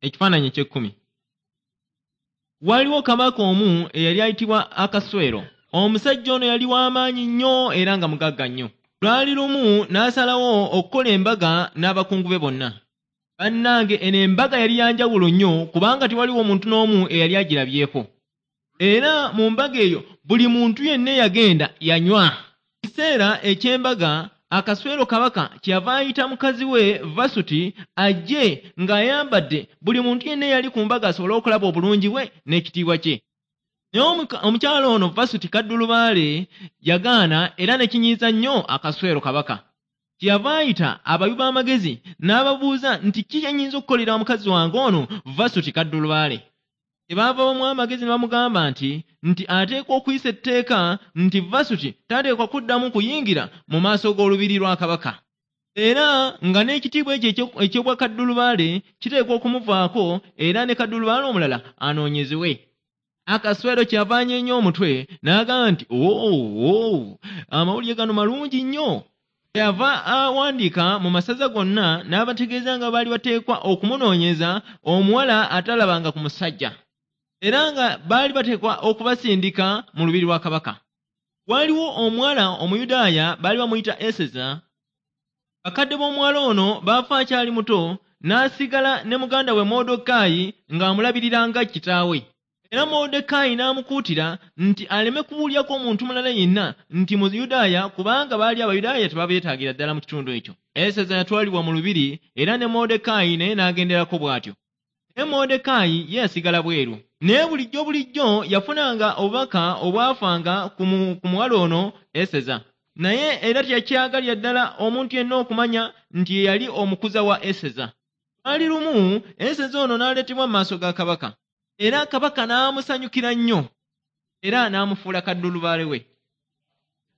Ekifaananyi eky'ekkumi. Waaliwo kabaka omu eyali ayitibwa Akaswero. Omusajja ono yali w'amaanyi nnyo era nga mugagga nnyo. Lwali lumu n'asalawo okukola embaga n'abakungu be bonna. Bannange eno embaga yali ya njawulo nnyo kubanga tewaliwo muntu n'omu eyali agirabyeko. Era mu mbaga eyo buli muntu yenna eyagenda yanywa. Mu kiseera eky'embaga Akaswero kabaka kyeyava ayita mukazi we Vasuti ajje ng'ayambadde buli muntu yenna eyali ku mbaga asobole okulaba obulungi bwe n'ekitiibwa kye. Naye omukyala ono Vasuti kaddulubaale yagaana era ne kinyiiza nnyo Akaswero kabaka. Kyeyava ayita abawi b'amagezi n'ababuuza nti ki kye nnyinza okukolera mukazi wange ono Vasuti kaddulubaale. Kyebaava bamuwa amagezi ne bamugamba nti ateekwa okuyisa etteeka nti Vasuti tateekwa kuddamu kuyingira mu maaso g'olubiri lwa kabaka. Era nga n'ekitiibwa ekyo eky'obwa kaddulubaale kiteekwa okumuvaako era ne kaddulubaale omulala anoonyezebwe. Akaswero kyeyava anyeenya omutwe n'agamba nti oo amawulire gano malungi nnyo. Kyeyava awandiika mu masaza gonna n'abategeeza nga baali bateekwa okumunoonyeza omuwala atalabanga ku musajja. Era nga baali bateekwa okubasindika mu lubiri lwa kabaka. Waaliwo omuwala Omuyudaaya baali bamuyita Eseza. Bakadde b'omuwala ono baafa akyali muto n'asigala ne muganda we Mordekaayi ng'amulabirira nga kitaawe. Era Mordekaayi n'amukuutira nti aleme kubuulyako omuntu mulala yenna nti Muyudaaya kubanga baali Abayudaaya tebabeetaagira ddala mu kitundu ekyo. Eseza yatwalibwa mu lubiri era ne Mordekaayi naye n'agenderako bw'atyo. Naye Mordekaayi ye yasigala bweru. Naye bulijjo bulijjo yafunanga obubaka obwafanga ku muwala ono Eseza. Naye era teyakyagalira ddala omuntu yenna okumanya nti ye yali omukuza wa Eseza. Lwali lumu Eseza ono n'aleetebwa mu maaso ga kabaka. Era kabaka n'amusanyukira nnyo era n'amufuula kaddulubaale we.